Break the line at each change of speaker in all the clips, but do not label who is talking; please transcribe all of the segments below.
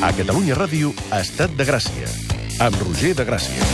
A Catalunya Ràdio, Estat de Gràcia, amb Roger de Gràcia.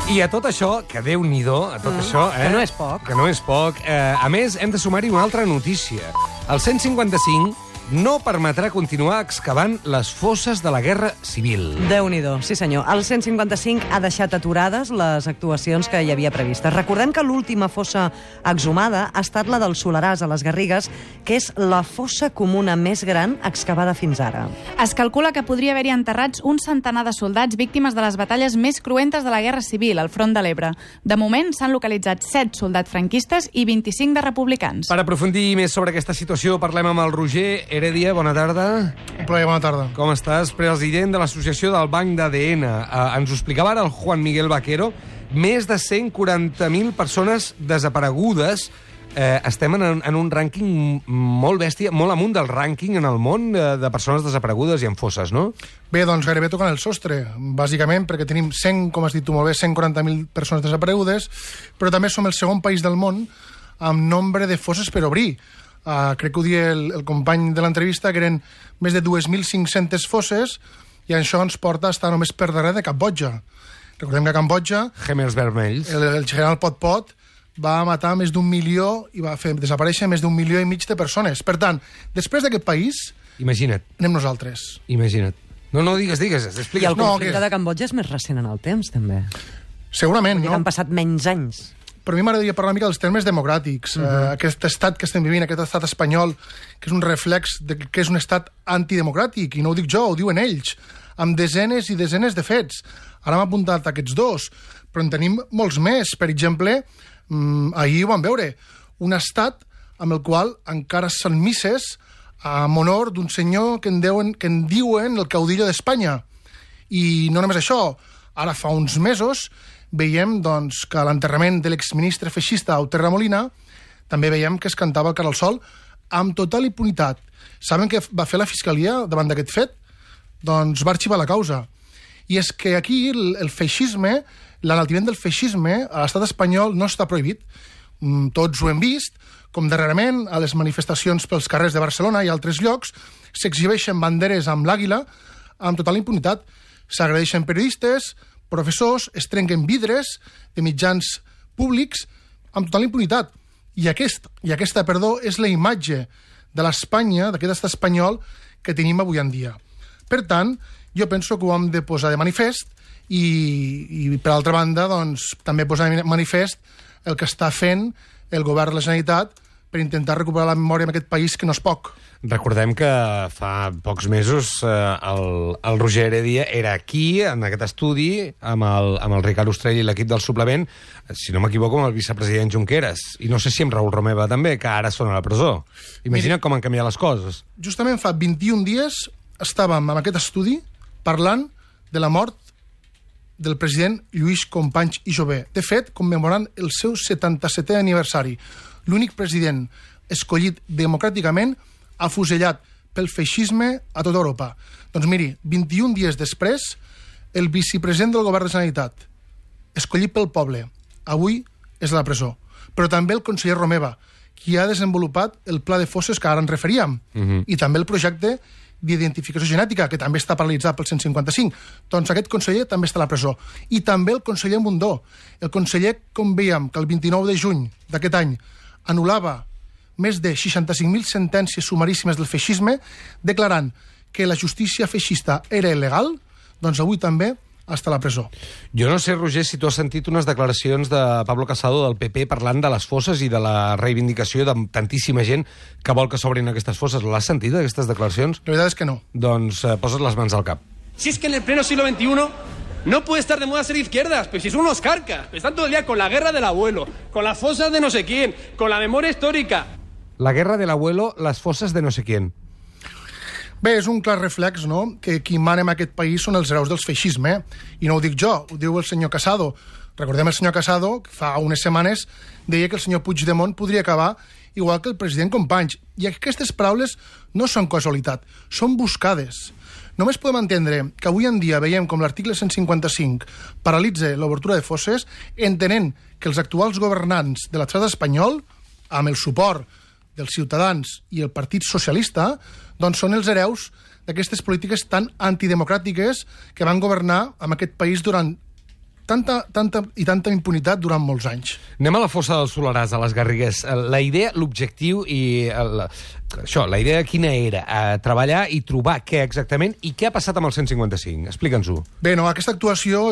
I a tot això, que Déu-n'hi-do, a tot això...
que no és poc.
Que no és poc. A més, hem de sumar-hi una altra notícia. El 155 no permetrà continuar excavant les fosses de la Guerra Civil.
Déu-n'hi-do, sí senyor. El 155 ha deixat aturades les actuacions que hi havia previstes. Recordem que l'última fossa exhumada ha estat la del Soleràs, a les Garrigues, que és la fossa comuna més gran excavada fins ara.
Es calcula que podria haver-hi enterrats un centenar de soldats víctimes de les batalles més cruentes de la Guerra Civil, al front de l'Ebre. De moment, s'han localitzat 7 soldats franquistes i 25 de republicans.
Per aprofundir més sobre aquesta situació, parlem amb el Roger Heredia. Bona tarda.
Un plaer, bona tarda.
Com estàs? President de l'Associació del Banc d'ADN. Ens ho explicava ara el Juan Miguel Vaquero. Més de 140.000 persones desaparegudes. Estem en un rànquing molt bèstia, molt amunt del rànquing en el món de persones desaparegudes i en fosses, no?
Bé, doncs gairebé tocant el sostre, bàsicament perquè tenim 100, com has dit tu molt bé, 140.000 persones desaparegudes, però també som el segon país del món amb nombre de fosses per obrir. Crec que ho dia el company de l'entrevista, que eren més de 2.500 fosses, i això ens porta a estar només per darrere de Cambodja. Recordem que a Cambodja
Gemels vermells.
el general Pol Pot va matar més d'1 milió i va fer desaparèixer més d'1,5 milió de persones. Per tant, després d'aquest país,
Imagina't.
anem nosaltres.
Imagina't. No, digues,
I
explica't.
el conflicte de Cambodja és més recent en el temps, també.
Segurament,
No?
no?
Han passat menys anys.
Per mi m'agradaria parlar una mica dels termes democràtics. Aquest estat que estem vivint, aquest estat espanyol, que és un reflex de que és un estat antidemocràtic, i no ho dic jo, ho diuen ells, amb desenes i desenes de fets. Ara m'ha apuntat aquests dos, però en tenim molts més. Per exemple, ahir ho vam veure, un estat amb el qual encara s'han misses en honor d'un senyor que en diuen el caudillo d'Espanya. I no només això, ara fa uns mesos veiem doncs, que a l'enterrament de l'exministre feixista Auter Molina també veiem que es cantava el cara al sol amb total impunitat. Saben què va fer la Fiscalia davant d'aquest fet? Doncs va arxivar la causa. I és que aquí el feixisme, l'enaltiment del feixisme a l'estat espanyol no està prohibit. Tots ho hem vist, com darrerament a les manifestacions pels carrers de Barcelona i altres llocs s'exhibeixen banderes amb l'àguila amb total impunitat. S'agredeixen periodistes, professors, es trenquen vidres de mitjans públics amb total impunitat. I aquesta, és la imatge de l'Espanya, d'aquest estat espanyol, que tenim avui en dia. Per tant, jo penso que ho hem de posar de manifest i per altra banda, doncs, també posar de manifest el que està fent el govern de la Generalitat per intentar recuperar la memòria en aquest país, que no és poc.
Recordem que fa pocs mesos el Roger Heredia era aquí, en aquest estudi, amb el Ricard Ostrell i l'equip del suplement, si no m'equivoco, amb el vicepresident Junqueras. I no sé si amb Raül Romeva també, que ara són a la presó. Imagina't com han canviat les coses.
Justament fa 21 dies estàvem en aquest estudi parlant de la mort del president Lluís Companys i Jover. De fet, commemorant el seu 77è aniversari. L'únic president escollit democràticament afusellat pel feixisme a tota Europa. Doncs miri, 21 dies després, el vicepresident del govern de la Generalitat, escollit pel poble, avui és a la presó. Però també el conseller Romeva, qui ha desenvolupat el pla de fosses que ara ens referíem, i també el projecte d'identificació genètica, que també està paralitzat pel 155. Doncs aquest conseller també està a la presó. I també el conseller Mundó. El conseller, com veiem, que el 29 de juny d'aquest any anul·lava més de 65.000 sentències sumaríssimes del feixisme, declarant que la justícia feixista era il·legal, doncs avui també està a la presó.
Jo no sé, Roger, si tu has sentit unes declaracions de Pablo Casado del PP parlant de les fosses i de la reivindicació de tantíssima gent que vol que s'obrin aquestes fosses. L'has sentit, aquestes declaracions?
La veritat és que no.
Doncs posa't les mans al cap.
Si es que en el pleno siglo XXI no puede estar de moda ser izquierdas, pues si son unos carcas, están todo el día con la guerra del abuelo, con las fosas de no sé quién, con la memoria histórica.
La guerra del abuelo, les fosses de no sé quién.
Bé, és un clar reflex, no?, que qui mana en aquest país són els hereus del feixisme, i no ho dic jo, ho diu el senyor Casado. Recordem el senyor Casado, que fa unes setmanes deia que el senyor Puigdemont podria acabar igual que el president Companys. I aquestes paraules no són casualitat, són buscades. Només podem entendre que avui en dia veiem com l'article 155 paralitza l'obertura de fosses, entenent que els actuals governants de l'estat espanyol, amb el suport dels Ciutadans i el Partit Socialista, doncs són els hereus d'aquestes polítiques tan antidemocràtiques que van governar en aquest país durant tanta impunitat durant molts anys.
Anem a la fossa del Soleràs, a les Garrigues. La idea, l'objectiu i la idea quina era? Treballar i trobar què exactament i què ha passat amb el 155? Explica'ns-ho.
Bé, no, aquesta actuació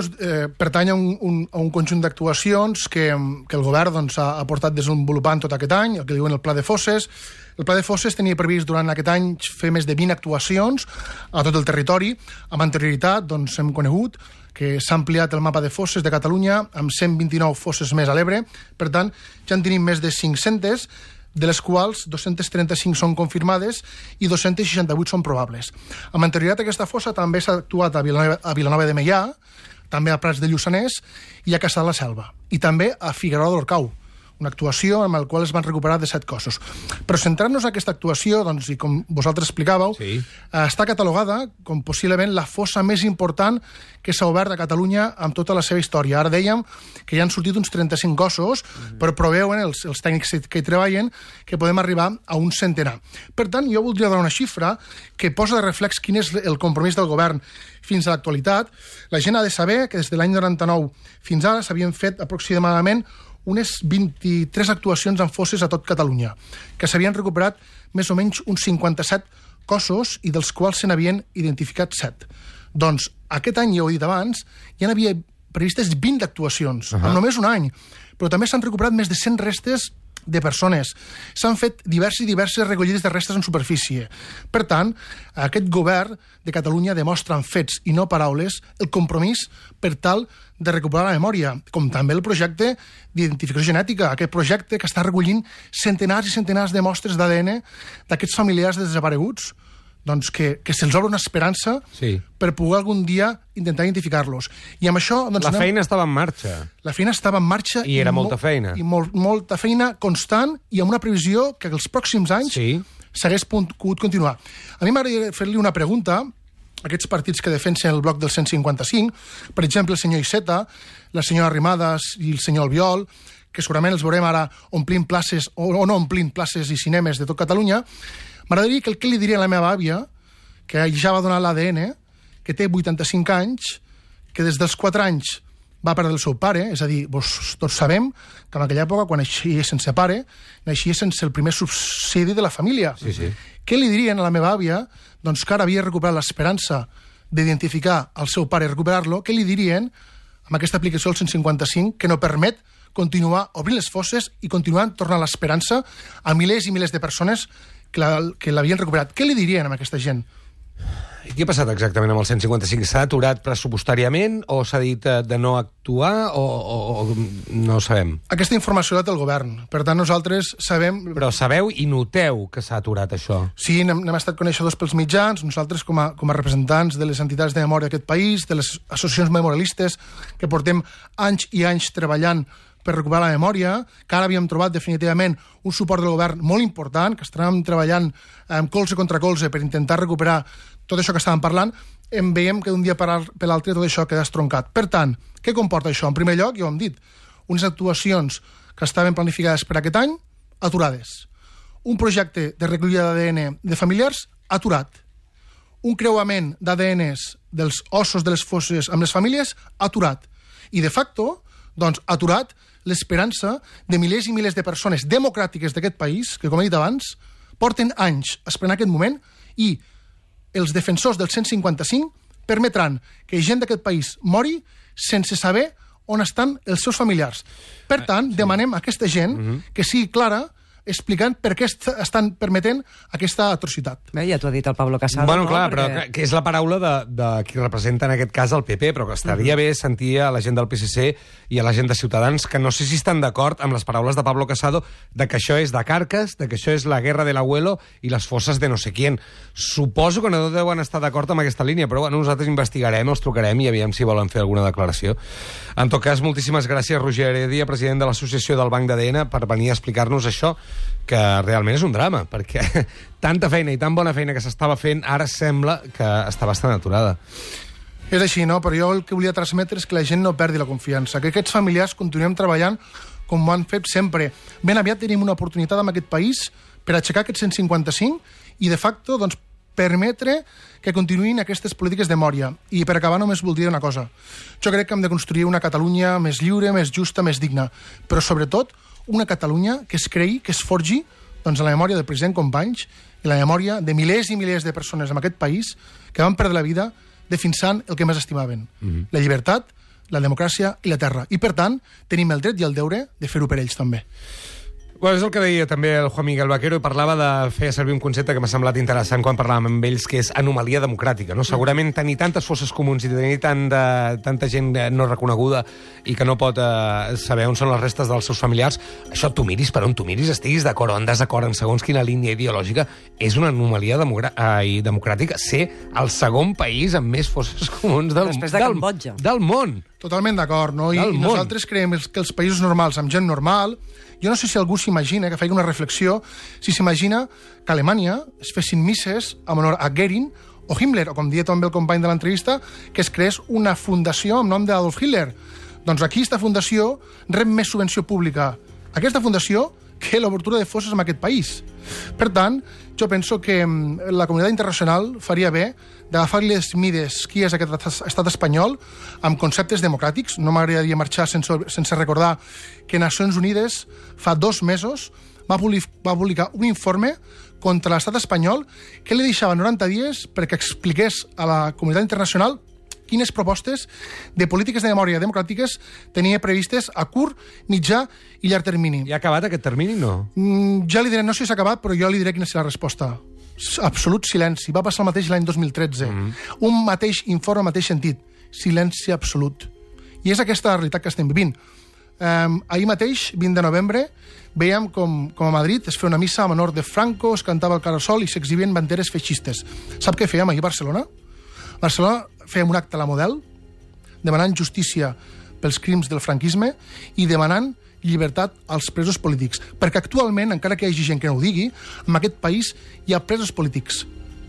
pertany a un conjunt d'actuacions que el govern doncs, ha portat desenvolupant tot aquest any, el que diuen el Pla de Fosses. El Pla de Fosses tenia previst durant aquest any fer més de 20 actuacions a tot el territori. Amb anterioritat doncs, hem conegut que s'ha ampliat el mapa de fosses de Catalunya amb 129 fosses més a l'Ebre. Per tant, ja en tenim més de 500, de les quals 235 són confirmades i 268 són probables. Amb anterioritat a aquesta fossa també s'ha actuat a Vilanova de Meià, també a Prats de Lluçanès i a Caçà de la Selva. I també a Figuerola d'Orcau, una actuació amb la qual es van recuperar 17 cossos. Però centrant-nos en aquesta actuació, doncs, i com vosaltres explicàveu, està catalogada com possiblement la fossa més important que s'ha obert a Catalunya amb tota la seva història. Ara dèiem que ja han sortit uns 35 cossos, però preveuen els tècnics que hi treballen que podem arribar a un centenar. Per tant, jo voldria donar una xifra que posa de reflex quin és el compromís del govern fins a l'actualitat. La gent ha de saber que des de l'any 99 fins ara s'havien fet aproximadament unes 23 actuacions en fosses a tot Catalunya, que s'havien recuperat més o menys uns 57 cossos i dels quals se n'havien identificat 7. Doncs aquest any, ja ho he dit abans, ja n'havia previstes 20 actuacions, en només un any, però també s'han recuperat més de 100 restes de persones. S'han fet diverses recollides de restes en superfície. Per tant, aquest govern de Catalunya demostra amb fets i no paraules el compromís per tal de recuperar la memòria, com també el projecte d'identificació genètica, aquest projecte que està recollint centenars i centenars de mostres d'ADN d'aquests familiars desapareguts, doncs que se'ls obre una esperança per poder algun dia intentar identificar-los. I amb això... Doncs,
la feina estava en marxa.
La feina estava en marxa.
I era molta feina.
I molta feina constant i amb una previsió que els pròxims anys s'hagués pogut continuar. A mi m'agradaria fer-li una pregunta a aquests partits que defensen el bloc del 155, per exemple, el senyor Iceta, la senyora Arrimadas i el senyor Albiol, que segurament els veurem ara omplint places o no omplint places i cinemes de tot Catalunya. M'agradaria que el que li diria a la meva àvia, que ja va donar l'ADN, que té 85 anys, que des dels 4 anys va perdre el seu pare, és a dir, tots sabem que en aquella època, quan naixia sense pare, naixia sense el primer subsidi de la família. Què li dirien a la meva àvia, doncs que ara havia recuperat l'esperança d'identificar el seu pare i recuperar-lo, què li dirien amb aquesta aplicació del 155 que no permet continuar obrint les fosses i continuar tornant l'esperança a milers i milers de persones que l'havien recuperat? Què li dirien a aquesta gent?
I què ha passat exactament amb el 155? S'ha aturat pressupostàriament o s'ha dit de no actuar o no ho sabem?
Aquesta informació la té el govern. Per tant, nosaltres sabem...
Però sabeu i noteu que s'ha aturat això?
Sí, n'hem estat coneixedors pels mitjans. Nosaltres, com a representants de les entitats de memòria d'aquest país, de les associacions memorialistes, que portem anys i anys treballant per recuperar la memòria, que ara havíem trobat definitivament un suport del govern molt important, que estàvem treballant colze contra colze per intentar recuperar tot això que estàvem parlant, veiem que d'un dia per l'altre tot això queda estroncat. Per tant, què comporta això? En primer lloc, ja ho hem dit, unes actuacions que estaven planificades per aquest any, aturades. Un projecte de recollida d'ADN de familiars, aturat. Un creuament d'ADNs dels ossos de les fosses amb les famílies, aturat. I de facto, doncs, aturat l'esperança de milers i milers de persones democràtiques d'aquest país, que, com he dit abans, porten anys esperant aquest moment, i els defensors del 155 permetran que gent d'aquest país mori sense saber on estan els seus familiars. Per tant, demanem a aquesta gent que sigui clara explicant per què estan permetent aquesta atrocitat.
Bé, ja t'ho ha dit el Pablo Casado.
Bueno, clar, però que és la paraula de qui representa en aquest cas el PP, però que estaria bé sentir a la gent del PSC i a la gent de Ciutadans que no sé si estan d'acord amb les paraules de Pablo Casado de que això és de Carcas, de que això és la guerra de l'abuelo i les fosses de no sé quién. Suposo que no deuen estar d'acord amb aquesta línia, però bueno, nosaltres investigarem, els trucarem i aviam si volen fer alguna declaració. En tot cas, moltíssimes gràcies, Roger Heredia, president de l'Associació del Banc d'ADN, per venir a explicar-nos això, que realment és un drama, perquè tanta feina i tan bona feina que s'estava fent, ara sembla que està bastant aturada.
És així, no? Però jo el que volia transmetre és que la gent no perdi la confiança, que aquests familiars continuem treballant com ho han fet sempre. Ben aviat tenim una oportunitat en aquest país per aixecar aquest 155 i, de facto, doncs, permetre que continuïn aquestes polítiques de memòria. I per acabar només voldria una cosa. Jo crec que hem de construir una Catalunya més lliure, més justa, més digna, però sobretot una Catalunya que es creï, que es forgi doncs, en la memòria del president Companys i la memòria de milers i milers de persones en aquest país que van perdre la vida defensant el que més estimaven, la llibertat, la democràcia i la terra. I, per tant, tenim el dret i el deure de fer-ho per ells també.
Bueno, és el que deia també el Juan Miguel Vaquero, i parlava de fer servir un concepte que m'ha semblat interessant quan parlàvem amb ells, que és anomalia democràtica. No? Segurament tenir tantes fosses comuns i tenir tanta gent no reconeguda i que no pot saber on són les restes dels seus familiars, això tu miris per on tu miris, estiguis d'acord o en desacord en segons quina línia ideològica, és una anomalia democràtica ser el segon país amb més fosses comuns del món.
Totalment d'acord, no? I nosaltres creiem que els països normals, amb gent normal, jo no sé si algú s'imagina, que faig una reflexió, si s'imagina que a Alemanya es fessin misses en honor a Goering o Himmler, o com deia també el company de l'entrevista, que es creés una fundació amb nom d'Adolf Hitler. Doncs aquí aquesta fundació rep més subvenció pública. Aquesta fundació que l'obertura de fosses en aquest país. Per tant, jo penso que la comunitat internacional faria bé d'agafar les mides qui és aquest estat espanyol amb conceptes democràtics. No m'agradaria marxar sense recordar que Nacions Unides fa 2 mesos va publicar un informe contra l'estat espanyol que li deixava 90 dies perquè expliqués a la comunitat internacional quines propostes de polítiques de memòria democràtiques tenia previstes a curt, mitjà i llarg termini.
Ja ha acabat aquest termini, no?
Ja li diré, no sé si s'ha acabat, però jo li diré quina serà la resposta. Absolut silenci. Va passar el mateix l'any 2013. Un mateix informe, mateix sentit. Silenci absolut. I és aquesta la realitat que estem vivint. Ahir mateix, 20 de novembre, veiem com a Madrid es feia una missa en honor de Franco, es cantava el Carasol i s'exhibien banderes feixistes. Sap què fèiem ahir a Barcelona? A Barcelona fèiem un acte a la Model demanant justícia pels crims del franquisme i demanant llibertat als presos polítics. Perquè actualment, encara que hi hagi gent que no ho digui, en aquest país hi ha presos polítics.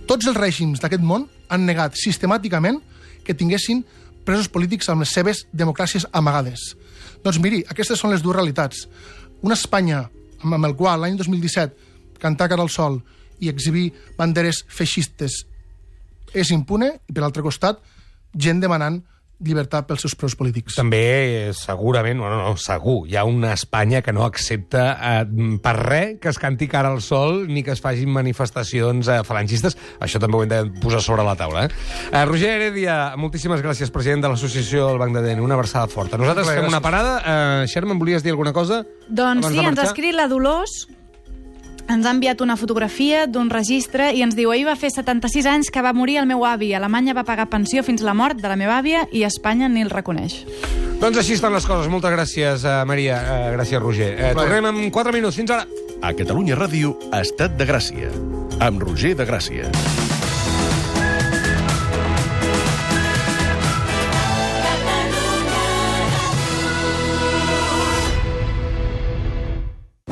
Tots els règims d'aquest món han negat sistemàticament que tinguessin presos polítics amb les seves democràcies amagades. Doncs miri, aquestes són les dues realitats. Una Espanya amb el qual l'any 2017 cantar cara al sol i exhibir banderes feixistes és impune, i per l'altre costat, gent demanant llibertat pels seus presos polítics.
També, segurament, segur, hi ha una Espanya que no accepta per res que es canti cara al sol ni que es facin manifestacions falangistes. Això també ho hem de posar sobre la taula. Roger Heredia, moltíssimes gràcies, president de l'Associació del Banc d'ADN. Una abraçada forta. Nosaltres fem una parada. Sherman, volies dir alguna cosa?
Doncs sí, ens ha escrit la Dolors. Ens ha enviat una fotografia d'un registre i ens diu: ahir va fer 76 anys que va morir el meu avi. Alemanya va pagar pensió fins la mort de la meva àvia i Espanya ni el reconeix.
Doncs així estan les coses. Moltes gràcies, Maria. Gràcies, Roger. Tornem en 4 minuts. Fins ara.
A Catalunya Ràdio, Estat de Gràcia, amb Roger de Gràcia.